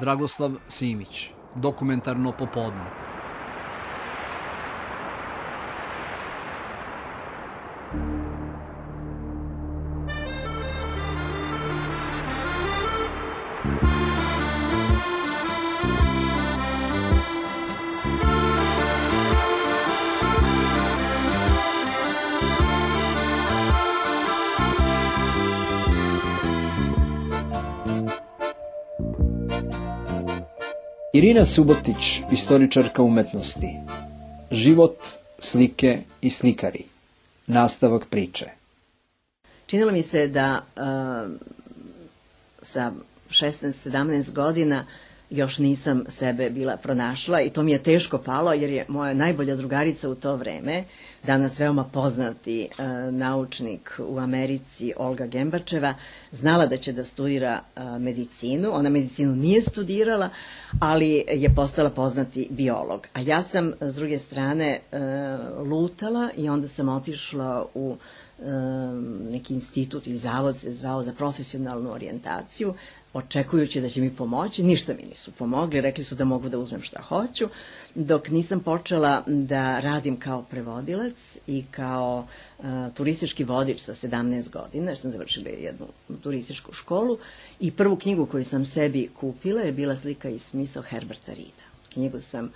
Dragoslav Simić, Dokumentarno popodne. Irina Subotić, istoričarka umetnosti. Život, slike i slikari. Nastavak priče. Činilo mi se da sa 16-17 godina još nisam sebe bila pronašla i to mi je teško palo jer je moja najbolja drugarica u to vreme, danas veoma poznati naučnik u Americi Olga Gembačeva, znala da će da studira medicinu. Ona medicinu nije studirala, ali je postala poznati biolog. A ja sam s druge strane lutala i onda sam otišla u neki institut ili zavod se zvao za profesionalnu orijentaciju, očekujući da će mi pomoći. Ništa mi nisu pomogli, rekli su da mogu da uzmem šta hoću, dok nisam počela da radim kao prevodilac i kao turistički vodič sa 17 godina, jer sam završila jednu turističku školu i prvu knjigu koju sam sebi kupila je bila Slika i smisao Herberta Reeda. Knjigu sam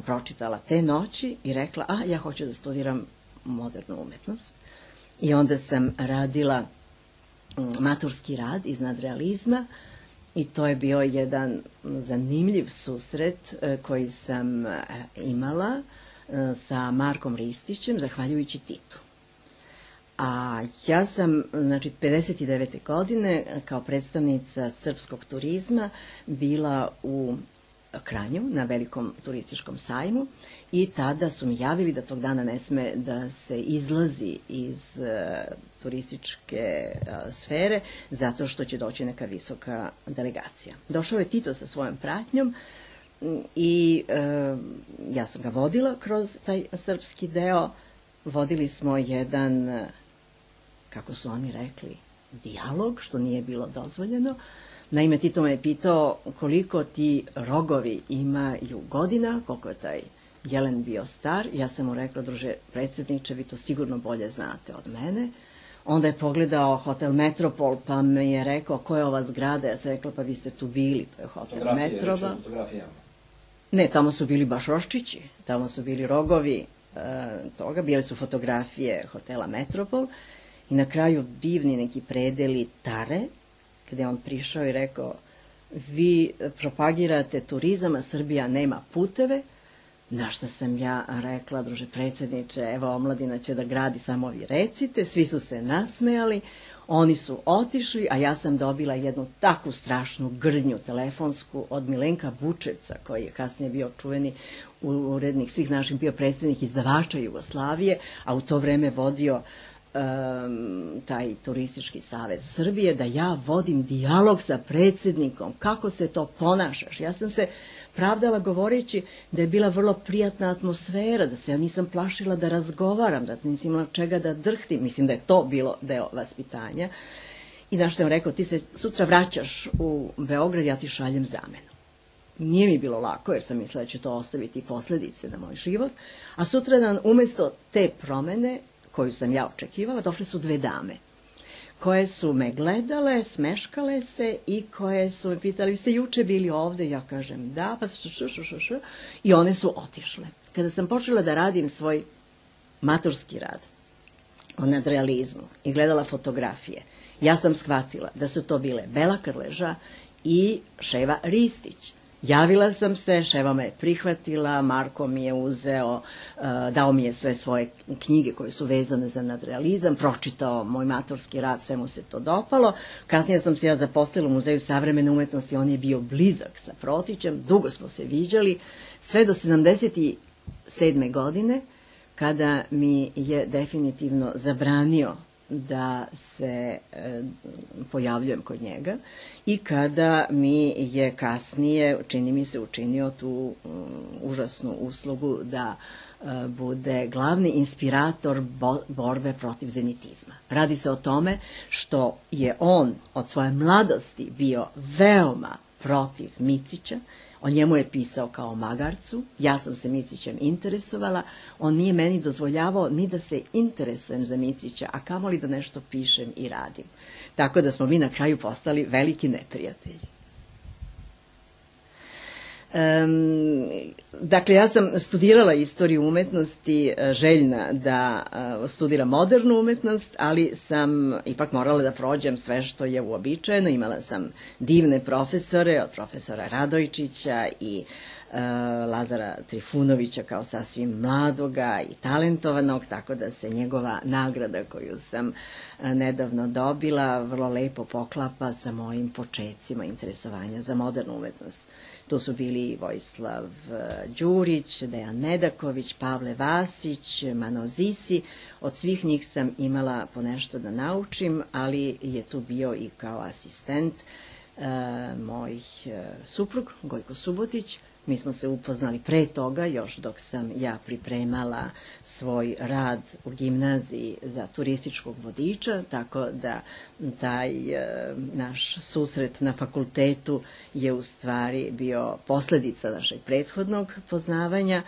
pročitala te noći i rekla, ja hoću da studiram modernu umetnost. I onda sam radila maturski rad iz nadrealizma i to je bio jedan zanimljiv susret koji sam imala sa Markom Ristićem, zahvaljujući Titu. A ja sam, 59. godine, kao predstavnica srpskog turizma, bila u Kranju na velikom turističkom sajmu i tada su mi javili da tog dana ne sme da se izlazi iz turističke sfere zato što će doći neka visoka delegacija. Došao je Tito sa svojom pratnjom i ja sam ga vodila kroz taj srpski deo. Vodili smo jedan, kako su oni rekli, dijalog, što nije bilo dozvoljeno. Naime, Tito me je pitao koliko ti rogovi imaju godina, koliko je taj jelen bio star. Ja sam mu rekla, druže predsjedniče, vi to sigurno bolje znate od mene. Onda je pogledao Hotel Metropol, pa mi je rekao, ko je ova zgrada? Ja sam rekla, pa vi ste tu bili, to je Hotel Metropol. Ne, tamo su bili baš roščići, tamo su bili rogovi toga, bile su fotografije Hotela Metropol i na kraju divni neki predeli Tare, kada je on prišao i rekao, vi propagirate turizam, a Srbija nema puteve. Na što sam ja rekla, druže predsjedniče, evo omladina će da gradi, samo vi recite. Svi su se nasmejali, oni su otišli, a ja sam dobila jednu takvu strašnu grdnju telefonsku od Milenka Bučevca, koji je kasnije bio čuveni urednik svih naših, bio predsjednik izdavača Jugoslavije, a u to vreme vodio taj turistički savez Srbije, da ja vodim dijalog sa predsjednikom. Kako se to ponašaš? Ja sam se pravdala govoreći da je bila vrlo prijatna atmosfera, da se ja nisam plašila da razgovaram, da nisam imala čega da drhtim. Mislim da je to bilo deo vaspitanja. I na što je on rekao, ti se sutra vraćaš u Beograd, ja ti šaljem zamenu. Nije mi bilo lako, jer sam mislila da će to ostaviti posledice na moj život. A sutradan, umjesto te promene koju sam ja očekivala, došle su dve dame koje su me gledale, smeškale se i koje su me pitali, vi ste juče bili ovde? Ja kažem da, pa i one su otišle. Kada sam počela da radim svoj maturski rad o nadrealizmu i gledala fotografije, ja sam shvatila da su to bile Bela Krleža i Ševa Ristić. Javila sam se, Ševa me je prihvatila, Marko mi je uzeo, dao mi je sve svoje knjige koje su vezane za nadrealizam, pročitao moj maturski rad, sve mu se to dopalo. Kasnije sam se ja zaposlila u Muzeju savremene umetnosti, on je bio blizak sa Protićem, dugo smo se viđali, sve do 77. godine, kada mi je definitivno zabranio da se pojavljujem kod njega i kada mi je kasnije, čini mi se, učinio tu užasnu uslugu da bude glavni inspirator borbe protiv zenitizma. Radi se o tome što je on od svoje mladosti bio veoma protiv Micića. O njemu je pisao kao magarcu, ja sam se Micićem interesovala, on nije meni dozvoljavao ni da se interesujem za Micića, a kamoli da nešto pišem i radim. Tako da smo mi na kraju postali veliki neprijatelji. Dakle, ja sam studirala istoriju umetnosti, željna da studiram modernu umetnost, ali sam ipak morala da prođem sve što je uobičajeno. Imala sam divne profesore, od profesora Radojčića i Lazara Trifunovića kao sasvim mladoga i talentovanog, tako da se njegova nagrada koju sam nedavno dobila vrlo lepo poklapa sa mojim počecima interesovanja za modernu umetnost. To su bili Vojislav Đurić, Dejan Medaković, Pavle Vasić, Mano Zisi. Od svih njih sam imala ponešto da naučim, ali je tu bio i kao asistent moj suprug, Gojko Subotić. Mi smo se upoznali pre toga, još dok sam ja pripremala svoj rad u gimnaziji za turističkog vodiča, tako da taj naš susret na fakultetu je u stvari bio posledica našeg prethodnog poznavanja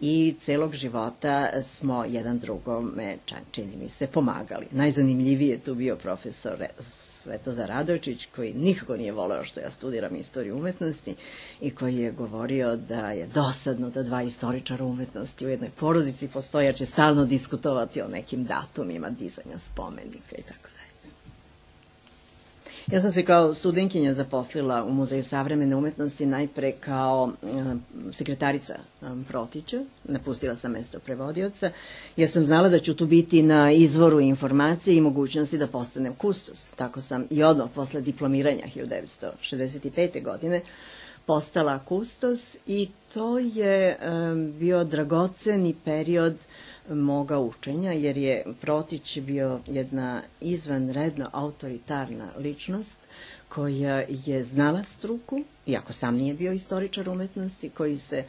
i celog života smo jedan drugome, čini mi se, pomagali. Najzanimljiviji je tu bio profesor Svetozar Radojčić, koji nikako nije voleo što ja studiram istoriju umetnosti i koji je govorio da je dosadno da dva istoričara umetnosti u jednoj porodici postoje, jer će stalno diskutovati o nekim datumima dizanja spomenika i tako dalje. Ja sam se kao studentkinja zaposlila u Muzeju savremene umetnosti najpre kao sekretarica Protića. Napustila sam mesto prevodioca jer sam znala da ću tu biti na izvoru informacije i mogućnosti da postanem kustos. Tako sam i odmah posle diplomiranja 1965. godine postala kustos i to je bio dragoceni period moga učenja, jer je Protić bio jedna izvanredno autoritarna ličnost koja je znala struku, iako sam nije bio istoričar umetnosti, koji se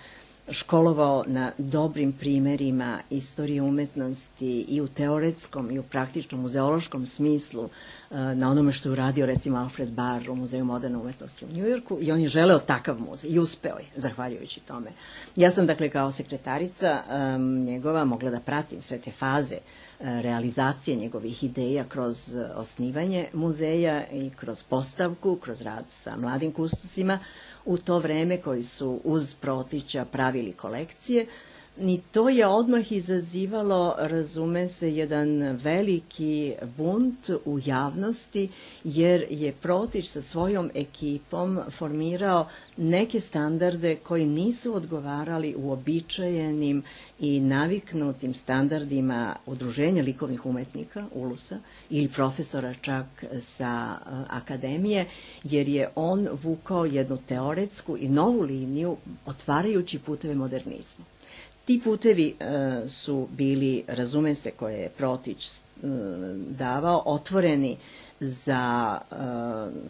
školovao na dobrim primerima istorije umetnosti i u teoretskom i u praktičnom muzeološkom smislu, na onome što je uradio recimo Alfred Barr u Muzeju moderne umetnosti u Njujorku, i on je želeo takav muzej i uspeo je, zahvaljujući tome. Ja sam dakle kao sekretarica njegova mogla da pratim sve te faze realizacije njegovih ideja kroz osnivanje muzeja i kroz postavku, kroz rad sa mladim kustosima u to vreme, koji su uz Protića pravili kolekcije. I to je odmah izazivalo, razume se, jedan veliki bunt u javnosti, jer je Protić sa svojom ekipom formirao neke standarde koji nisu odgovarali uobičajenim i naviknutim standardima Udruženja likovnih umetnika, ULUS-a, ili profesora čak sa akademije, jer je on vukao jednu teoretsku i novu liniju, otvarajući puteve modernizmu. Ti putevi su bili, razume se, koje je Protić davao, otvoreni za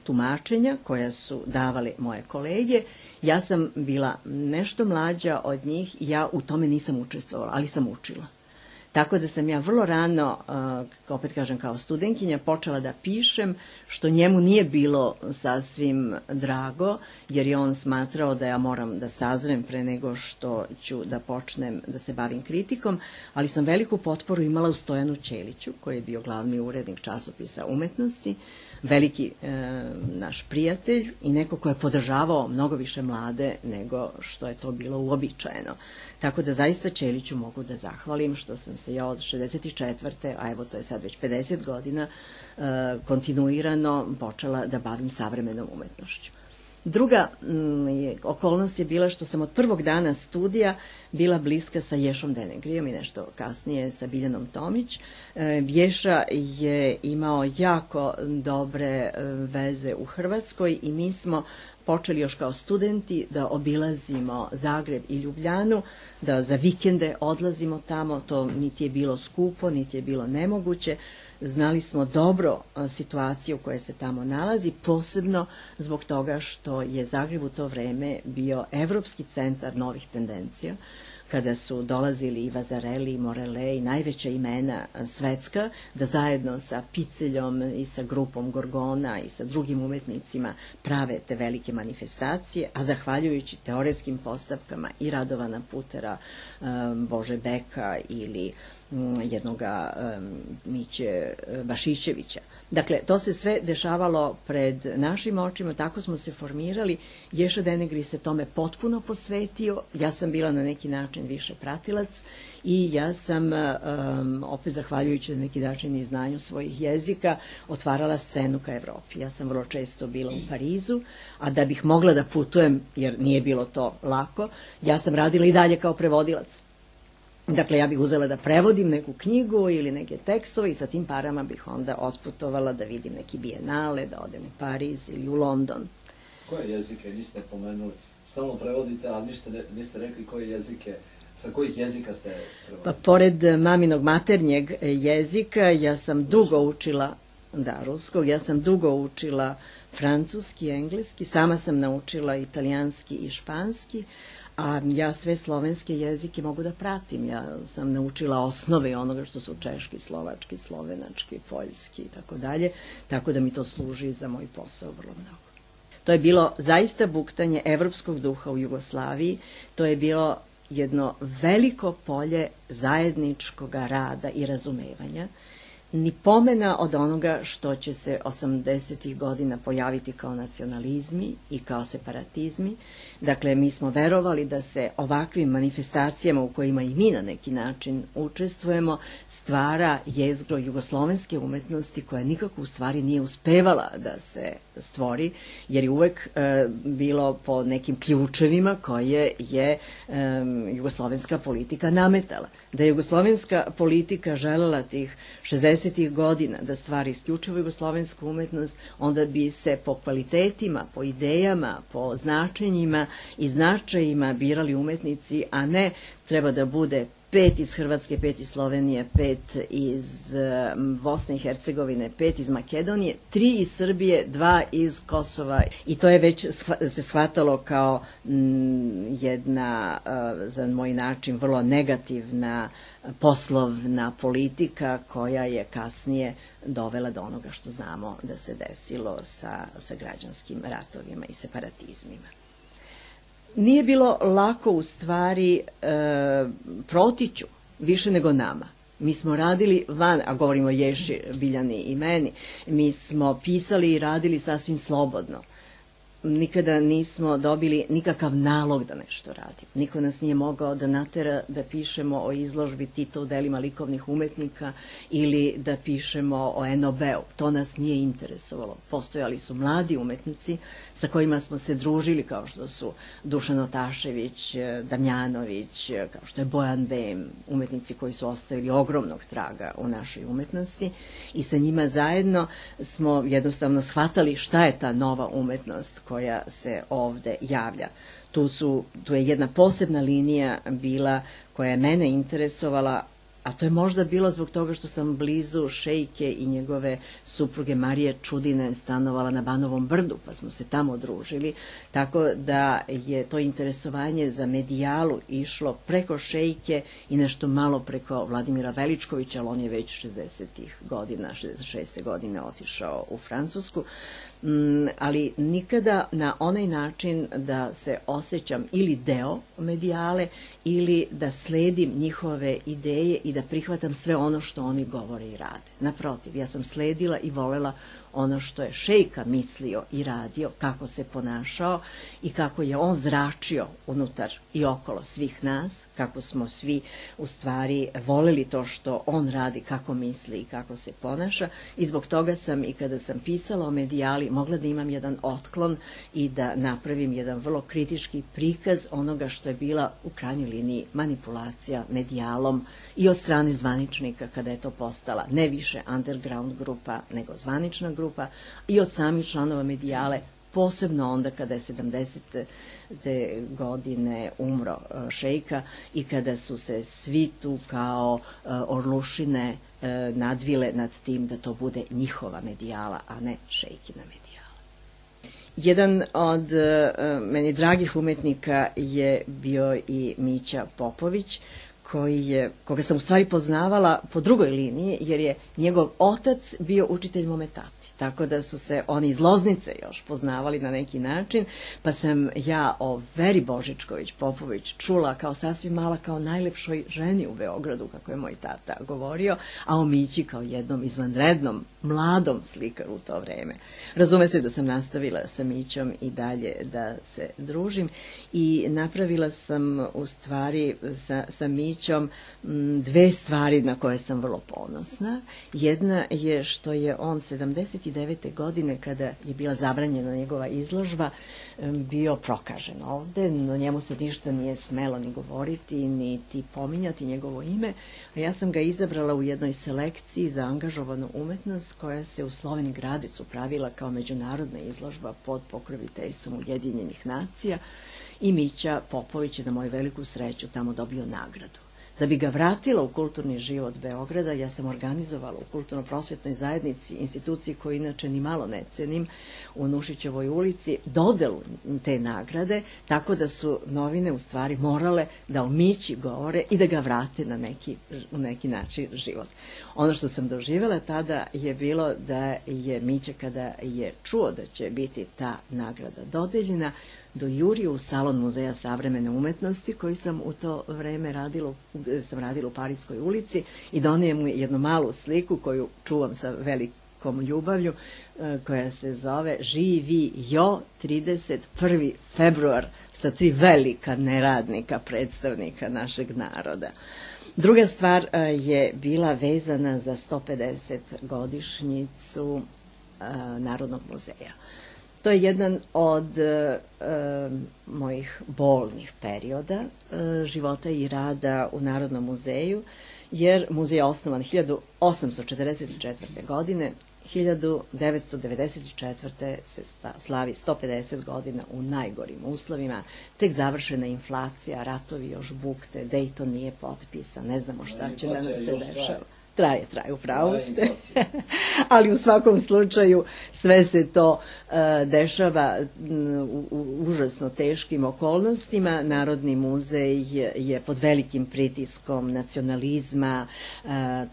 tumačenja koja su davale moje kolege. Ja sam bila nešto mlađa od njih i ja u tome nisam učestvovala, ali sam učila. Tako da sam ja vrlo rano, opet kažem kao studentkinja, počela da pišem, što njemu nije bilo sasvim drago, jer je on smatrao da ja moram da sazrem pre nego što ću da počnem da se bavim kritikom, ali sam veliku potporu imala u Stojanu Ćeliću, koji je bio glavni urednik časopisa umetnosti, veliki naš prijatelj i neko ko je podržavao mnogo više mlade nego što je to bilo uobičajeno. Tako da zaista Ćeliću mogu da zahvalim što sam se ja od 64. a evo to je sad već 50 godina, kontinuirano počela da bavim savremenom umetnošću. Druga okolnost je bila što sam od prvog dana studija bila bliska sa Ješom Denegrijom i nešto kasnije sa Biljanom Tomić. Ješa je imao jako dobre veze u Hrvatskoj i mi smo počeli još kao studenti da obilazimo Zagreb i Ljubljanu, da za vikende odlazimo tamo, to niti je bilo skupo, niti je bilo nemoguće. Znali smo dobro situaciju koja se tamo nalazi, posebno zbog toga što je Zagreb u to vreme bio evropski centar novih tendencija, kada su dolazili i Vazareli, i Morelli, i najveća imena svetska, da zajedno sa Piceljom i sa grupom Gorgona i sa drugim umetnicima prave te velike manifestacije, a zahvaljujući teoretskim postavkama i Radovana Putera, Bože Beka ili jednoga Miće Bašićevića. Dakle, to se sve dešavalo pred našim očima, tako smo se formirali. Ješa Denegri se tome potpuno posvetio, ja sam bila na neki način više pratilac i ja sam, opet zahvaljujući na neki način i znanju svojih jezika, otvarala scenu ka Evropi. Ja sam vrlo često bila u Parizu, a da bih mogla da putujem, jer nije bilo to lako, ja sam radila i dalje kao prevodilac. Dakle, ja bih uzela da prevodim neku knjigu ili neke tekstove i sa tim parama bih onda otputovala da vidim neki bijenale, da odem u Pariz ili u London. Koje jezike niste pomenuli? Stalno prevodite, ali niste rekli koje jezike, sa kojih jezika ste prevodili? Pa, pored maminog maternjeg jezika, ja sam dugo učila, ruskog, ja sam dugo učila francuski, engleski, sama sam naučila italijanski i španski, a ja sve slovenske jezike mogu da pratim. Ja sam naučila osnove onoga što su češki, slovački, slovenački, poljski i tako dalje, tako da mi to služi za moj posao vrlo mnogo. To je bilo zaista buktanje evropskog duha u Jugoslaviji, to je bilo jedno veliko polje zajedničkog rada i razumevanja, ni pomena od onoga što će se 80. godina pojaviti kao nacionalizmi i kao separatizmi. Dakle, mi smo verovali da se ovakvim manifestacijama u kojima i mi na neki način učestvujemo stvara jezgro jugoslovenske umetnosti koja nikako u stvari nije uspevala da se stvori, jer je uvek bilo po nekim ključevima koje je jugoslovenska politika nametala. Da je jugoslovenska politika želela tih 60. godina da stvari isključivo jugoslovensku umetnost, onda bi se po kvalitetima, po idejama, po značenjima i značajima birali umetnici, a ne treba da bude 5 iz Hrvatske, 5 iz Slovenije, 5 iz Bosne i Hercegovine, 5 iz Makedonije, 3 iz Srbije, 2 iz Kosova. I to je već se shvatalo kao jedna, za moj način, vrlo negativna poslovna politika koja je kasnije dovela do onoga što znamo da se desilo sa građanskim ratovima i separatizmima. Nije bilo lako u stvari Protiću, više nego nama. Mi smo radili van, a govorimo o Ješi, Biljani i meni, mi smo pisali i radili sasvim slobodno. Nikada nismo dobili nikakav nalog da nešto radimo. Niko nas nije mogao da natera da pišemo o izložbi Tita u delima likovnih umetnika ili da pišemo o NOB-u. To nas nije interesovalo. Postojali su mladi umetnici sa kojima smo se družili, kao što su Dušan Otašević, Damjanović, kao što je Bojan Bem, umetnici koji su ostavili ogromnog traga u našoj umetnosti i sa njima zajedno smo jednostavno shvatali šta je ta nova umetnost koja se ovde javlja. Tu je jedna posebna linija bila koja je mene interesovala, a to je možda bilo zbog toga što sam blizu šejke i njegove supruge Marije Čudine stanovala na Banovom brdu, pa smo se tamo družili, tako da je to interesovanje za medijalu išlo preko šejke i nešto malo preko Vladimira Veličkovića, ali on je već 60-ih godina, 66. godine otišao u Francusku, ali nikada na onaj način da se osjećam ili deo medijale ili da sledim njihove ideje i da prihvatam sve ono što oni govore i rade. Naprotiv, ja sam sledila i volela ono što je šejka mislio i radio, kako se ponašao i kako je on zračio unutar i okolo svih nas, kako smo svi u stvari voleli to što on radi, kako misli i kako se ponaša, i zbog toga sam i kada sam pisala o medijali mogla da imam jedan otklon i da napravim jedan vrlo kritički prikaz onoga što je bila u krajnjoj liniji manipulacija medijalom i od strane zvaničnika kada je to postala ne više underground grupa nego zvanična grupa i od samih članova medijale, posebno onda kada je 70. godine umro šejka i kada su se svi tu kao orlušine nadvile nad tim da to bude njihova medijala, a ne šejkina medijala. Jedan od meni dragih umetnika je bio i Mića Popović, koga sam u stvari poznavala po drugoj liniji, jer je njegov otac bio učitelj mome tati. Tako da su se oni iz Loznice još poznavali na neki način, pa sam ja o Veri Božičković Popović čula kao sasvim mala, kao najlepšoj ženi u Beogradu, kako je moj tata govorio, a o Mići kao jednom izvanrednom, mladom slikaru u to vreme. Razume se da sam nastavila sa Mićom i dalje da se družim i napravila sam u stvari sa Mićom dve stvari na koje sam vrlo ponosna. Jedna je što je on 79. godine, kada je bila zabranjena njegova izložba, bio prokažen ovde, no njemu se ništa nije smelo ni govoriti, niti pominjati njegovo ime, a ja sam ga izabrala u jednoj selekciji za angažovanu umetnost koja se u Slovenj Gradecu pravila kao međunarodna izložba pod pokroviteljstvom Ujedinjenih nacija i Mića Popović je na moju veliku sreću tamo dobio nagradu. Da bi ga vratila u kulturni život Beograda, ja sam organizovala u kulturno-prosvjetnoj zajednici, instituciji koju inače ni malo ne cenim, u Nušićevoj ulici, dodelu te nagrade, tako da su novine u stvari morale da o Mići govore i da ga vrate u neki način život. Ono što sam doživjela tada je bilo da je Mića, kada je čuo da će biti ta nagrada dodeljena, dojurio u salon Muzeja savremene umetnosti, koji sam u to vreme radila u Parijskoj ulici, i donio mu jednu malu sliku koju čuvam sa velikom ljubavlju, koja se zove Živi Jo 31. februar, sa 3 velika neradnika, predstavnika našeg naroda. Druga stvar je bila vezana za 150 godišnjicu Narodnog muzeja. To je jedan od mojih bolnih perioda života i rada u Narodnom muzeju, jer muzej je osnovan 1844. godine, 1994. se slavi 150 godina u najgorim uslovima, tek završena inflacija, ratovi još bukte, Dejton nije potpisan, ne znamo šta će da nam se dešava. Traje, u pravu ste. Ali u svakom slučaju sve se to dešava u užasno teškim okolnostima. Narodni muzej je pod velikim pritiskom nacionalizma,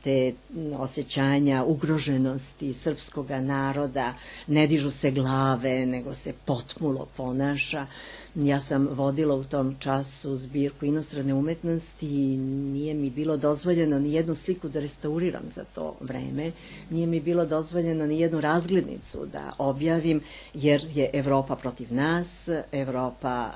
te osjećanja ugroženosti srpskog naroda. Ne dižu se glave, nego se potmulo ponaša. Ja sam vodila u tom času zbirku inostrane umetnosti i nije mi bilo dozvoljeno ni jednu sliku da restauriram za to vreme. Nije mi bilo dozvoljeno ni jednu razglednicu da objavim, jer je Evropa protiv nas, Evropa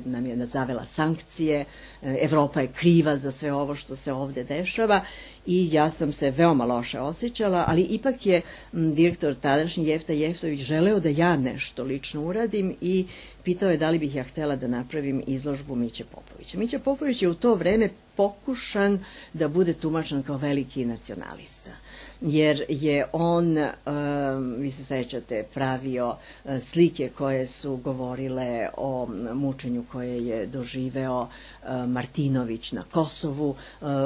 nam je zavela sankcije, Evropa je kriva za sve ovo što se ovde dešava i ja sam se veoma loše osjećala, ali ipak je direktor tadašnji Jefta Jeftović želeo da ja nešto lično uradim i pitao je da li bih ja htela da napravim izložbu Miće Popovića. Mića Popović je u to vreme pokušan da bude tumačen kao veliki nacionalista, jer je on, vi se sećate, pravio slike koje su govorile o mučenju koje je doživeo Martinović na Kosovu,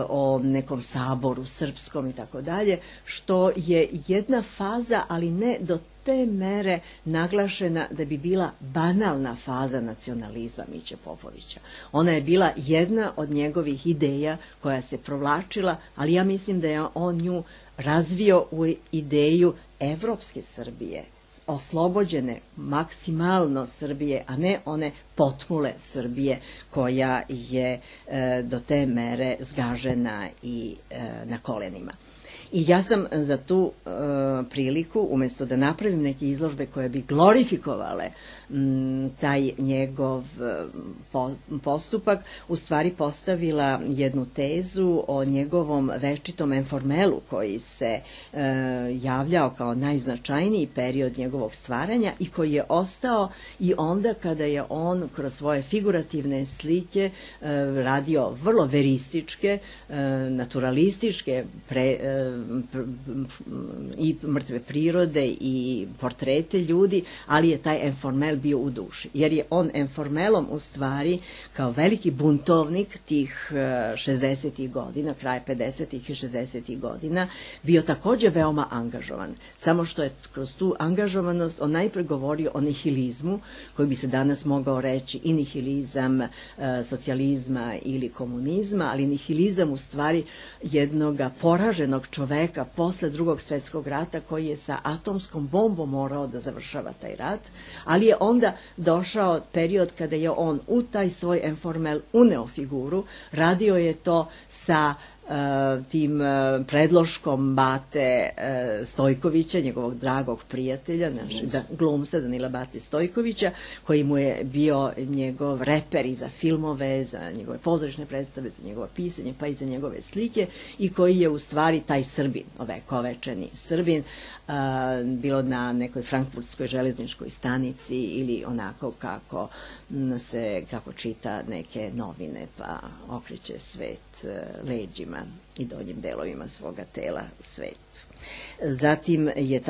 o nekom saboru srpskom i tako dalje, što je jedna faza, ali ne do te mere naglašena da bi bila banalna faza nacionalizma Miće Popovića. Ona je bila jedna od njegovih ideja koja se provlačila, ali ja mislim da je on nju razvio u ideju evropske Srbije, oslobođene maksimalno Srbije, a ne one potmule Srbije koja je do te mere zgažena i na kolenima. I ja sam za tu priliku, umjesto da napravim neke izložbe koje bi glorifikovale taj njegov postupak, u stvari postavila jednu tezu o njegovom večitom enformelu koji se javljao kao najznačajniji period njegovog stvaranja i koji je ostao i onda kada je on kroz svoje figurativne slike radio vrlo verističke, naturalističke i mrtve prirode i portrete ljudi, ali je taj enformel Enformel bio u duši, jer je on Enformelom u stvari kao veliki buntovnik tih 60. godina, kraj 50. i 60. godina, bio takođe veoma angažovan. Samo što je kroz tu angažovanost on najpre govorio o nihilizmu, koji bi se danas mogao reći i nihilizam socijalizma ili komunizma, ali nihilizam u stvari jednog poraženog čoveka posle Drugog svjetskog rata koji je sa atomskom bombom morao da završava taj rat, ali je onda došao period kada je on u taj svoj Enformel uneo figuru, radio je to sa tim predloškom Bate Stojkovića, njegovog dragog prijatelja, glumca Danila Bate Stojkovića, koji mu je bio njegov reper i za filmove, za njegove pozorišne predstave, za njegovo pisanje, pa i za njegove slike, i koji je u stvari taj Srbin, ovekovečeni Srbin, bilo na nekoj frankfurtskoj železničkoj stanici ili onako kako čita neke novine pa okreće svet leđima i donjim delovima svoga tela svetu. Zatim je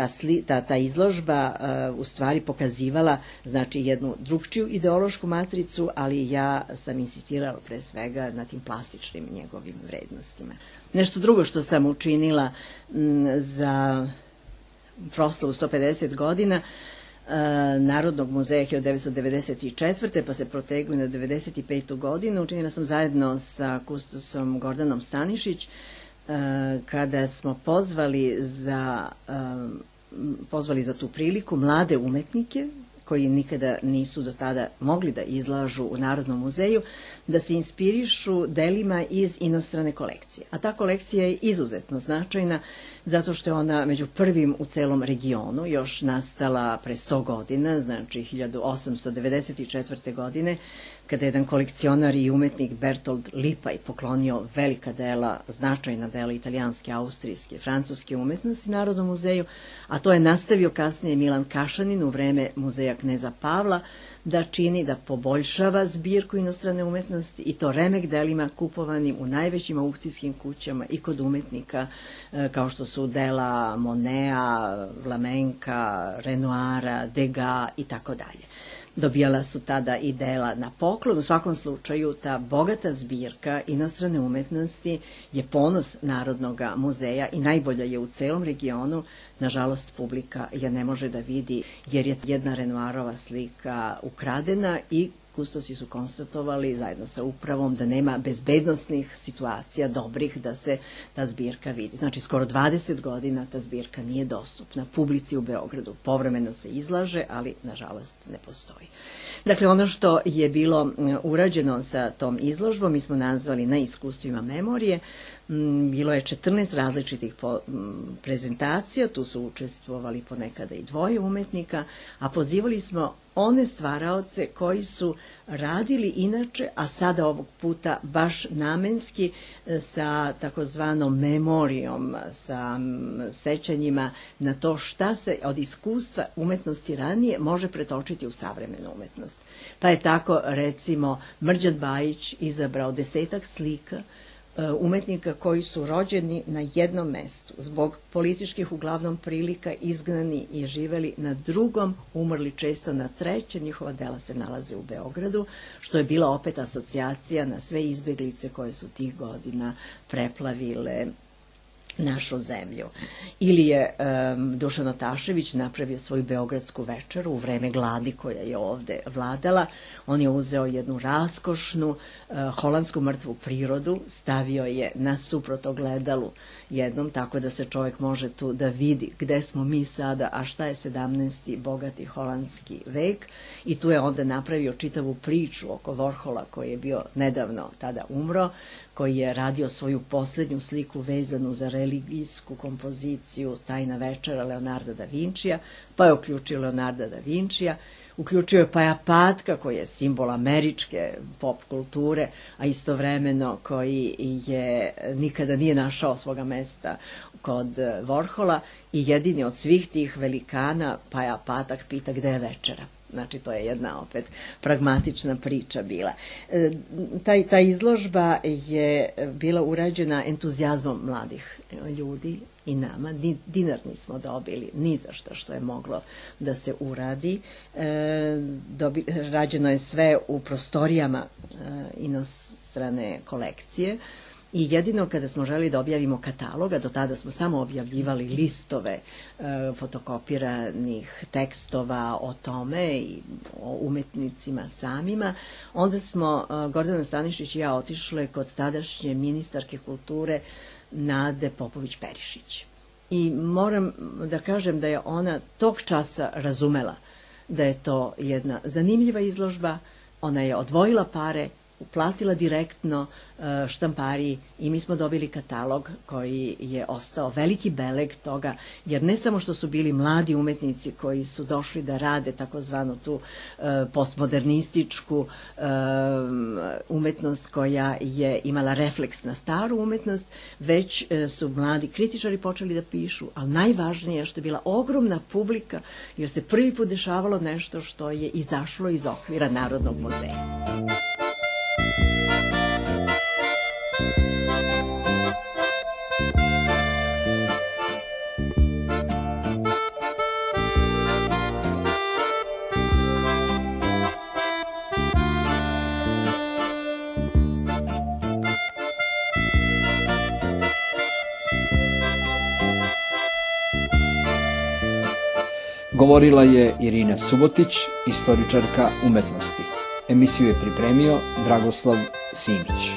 ta izložba u stvari pokazivala znači jednu drugčiju ideološku matricu, ali ja sam insistirala pre svega na tim plastičnim njegovim vrednostima. Nešto drugo što sam učinila za proslavu 150 godina Narodnog muzeja 1994. pa se protegli na 95. godinu. Učinila sam zajedno sa kustosom Gordanom Stanišić kada smo pozvali za tu priliku mlade umetnike koji nikada nisu do tada mogli da izlažu u Narodnom muzeju, da se inspirišu delima iz inostrane kolekcije. A ta kolekcija je izuzetno značajna zato što je ona među prvim u celom regionu, još nastala pre 100 godina, znači 1894. godine, kada je jedan kolekcionar i umetnik Bertold Lipaj poklonio velika dela, značajna dela italijanske, austrijske, francuske umetnosti Narodnom muzeju, a to je nastavio kasnije Milan Kašanin u vreme muzeja Kneza Pavla, da čini, da poboljšava zbirku inostrane umetnosti i to remek delima kupovanim u najvećim aukcijskim kućama i kod umetnika kao što su dela Moneta, Vlamenka, Renoira, Degas i tako dalje. Dobijala su tada i dela na poklon. U svakom slučaju ta bogata zbirka inostrane umetnosti je ponos Narodnog muzeja i najbolja je u celom regionu. Nažalost, publika je ne može da vidi jer je jedna Renoirova slika ukradena i kustosi su konstatovali zajedno sa upravom da nema bezbednosnih situacija dobrih da se ta zbirka vidi. Znači, skoro 20 godina ta zbirka nije dostupna publici u Beogradu. Povremeno se izlaže, ali nažalost ne postoji. Dakle, ono što je bilo urađeno sa tom izložbom, mi smo nazvali Na iskustvima memorije. Bilo je 14 različitih prezentacija, tu su učestvovali ponekada i dvoje umetnika, a pozivali smo one stvaraoce koji su radili inače, a sada ovog puta baš namenski sa takozvanom memorijom, sa sećanjima na to šta se od iskustva umetnosti ranije može pretočiti u savremenu umetnost. Pa je tako, recimo, Mrđan Bajić izabrao 10 slika umetnika koji su rođeni na jednom mestu, zbog političkih uglavnom prilika izgnani i živeli na drugom, umrli često na trećem, njihova dela se nalaze u Beogradu, što je bila opet asocijacija na sve izbeglice koje su tih godina preplavile našu zemlju. Ili je Dušan Otašević napravio svoju beogradsku večeru u vreme gladi koja je ovde vladala. On je uzeo jednu raskošnu holandsku mrtvu prirodu, stavio je nasuprot ogledalu jednom, tako da se čovjek može tu da vidi gde smo mi sada, a šta je 17. bogati holandski vek, i tu je onda napravio čitavu priču oko Warhola koji je bio nedavno tada umro, koji je radio svoju poslednju sliku vezanu za religijsku kompoziciju Tajna večera Leonarda da Vincija, pa je uključio Leonarda da Vincija, uključio je Paja Patka koji je simbol američke pop kulture, a istovremeno koji je nikada nije našao svoga mesta kod Warhola, i jedini od svih tih velikana Paja Patak pita gde je večera. Znači, to je jedna opet pragmatična priča bila. Ta izložba je bila urađena entuzijazmom mladih ljudi i nama. Dinar nismo dobili ni za što je moglo da se uradi. Rađeno je sve u prostorijama inostrane kolekcije. I jedino kada smo želi da objavimo kataloga, do tada smo samo objavljivali listove fotokopiranih tekstova o tome i o umetnicima samima, onda smo Gordana Stanišić i ja otišle kod tadašnje ministarke kulture Nade Popović-Perišić. I moram da kažem da je ona tog časa razumela da je to jedna zanimljiva izložba, ona je odvojila pare, uplatila direktno štampariji i mi smo dobili katalog koji je ostao veliki beleg toga, jer ne samo što su bili mladi umetnici koji su došli da rade takozvanu tu postmodernističku umetnost koja je imala refleks na staru umetnost, već su mladi kritičari počeli da pišu, ali najvažnije je što je bila ogromna publika, jer se prvi put dešavalo nešto što je izašlo iz okvira Narodnog muzeja. Govorila je Irina Subotić, istoričarka umetnosti. Emisiju je pripremio Dragoslav Simić.